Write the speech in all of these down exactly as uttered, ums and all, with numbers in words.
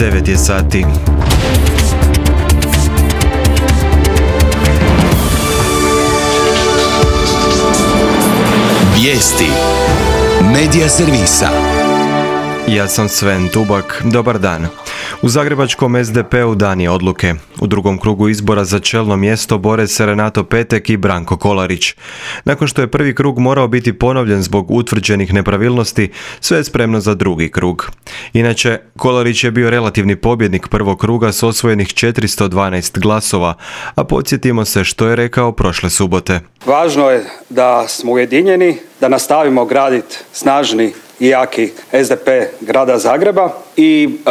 devet je sati. Vijesti Medija servisa. Ja sam Sven Tubak, dobar dan. U zagrebačkom es de pe u dan je odluke. U drugom krugu izbora za čelno mjesto bore se Renato Petek i Branko Kolarić. Nakon što je prvi krug morao biti ponovljen zbog utvrđenih nepravilnosti, sve je spremno za drugi krug. Inače, Kolarić je bio relativni pobjednik prvog kruga s osvojenih četiristo dvanaest glasova, a podsjetimo se što je rekao prošle subote. Važno je da smo ujedinjeni, da nastavimo graditi snažni i jaki es de pe grada Zagreba i e,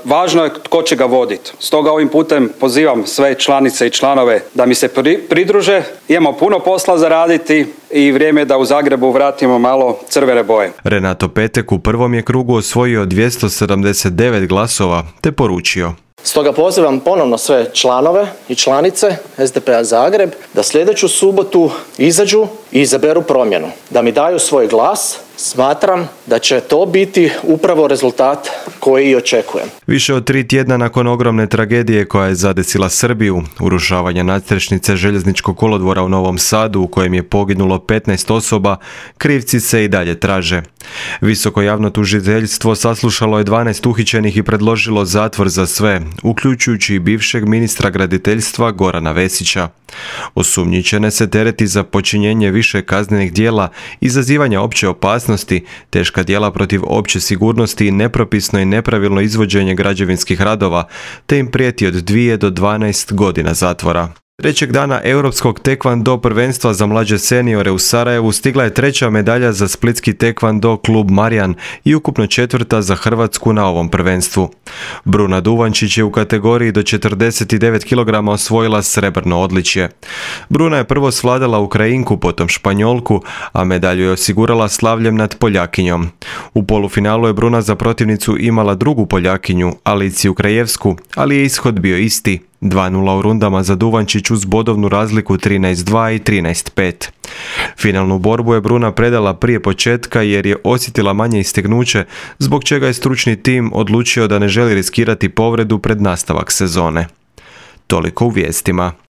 važno je tko će ga voditi. Stoga ovim putem pozivam sve članice i članove da mi se pri, pridruže. Imamo puno posla za raditi i vrijeme je da u Zagrebu vratimo malo crvene boje. Renato Petek u prvom je krugu osvojio dvjesto sedamdeset devet glasova te poručio: Stoga pozivam ponovno sve članove i članice es de pe-a Zagreb da sljedeću subotu izađu i izaberu promjenu, da mi daju svoj glas. Smatram da će to biti upravo rezultat koji i očekujem. Više od tri tjedna nakon ogromne tragedije koja je zadesila Srbiju, urušavanja nadstrešnice željezničkog kolodvora u Novom Sadu u kojem je poginulo petnaest osoba, krivci se i dalje traže. Visoko javno tužiteljstvo saslušalo je dvanaest uhićenih i predložilo zatvor za sve, uključujući i bivšeg ministra graditeljstva Gorana Vesića. Osumnjičene se tereti za počinjenje više kaznenih djela, izazivanja opće opasnosti, teška djela protiv opće sigurnosti i nepropisno i nepravilno izvođenje građevinskih radova, te im prijeti od dvije do dvanaest godina zatvora. Trećeg dana europskog tekvando prvenstva za mlađe seniore u Sarajevu stigla je treća medalja za splitski tekvando klub Marijan i ukupno četvrta za Hrvatsku na ovom prvenstvu. Bruna Duvančić je u kategoriji do četrdeset devet kilograma osvojila srebrno odličje. Bruna je prvo svladala Ukrajinku, potom Španjolku, a medalju je osigurala slavljem nad Poljakinjom. U polufinalu je Bruna za protivnicu imala drugu Poljakinju, Aliciju Krajevsku, ali je ishod bio isti. dva nula u rundama za Duvančić uz bodovnu razliku trinaest dva i trinaest pet. Finalnu borbu je Bruna predala prije početka jer je osjetila manje istegnuće, zbog čega je stručni tim odlučio da ne želi riskirati povredu pred nastavak sezone. Toliko u vijestima.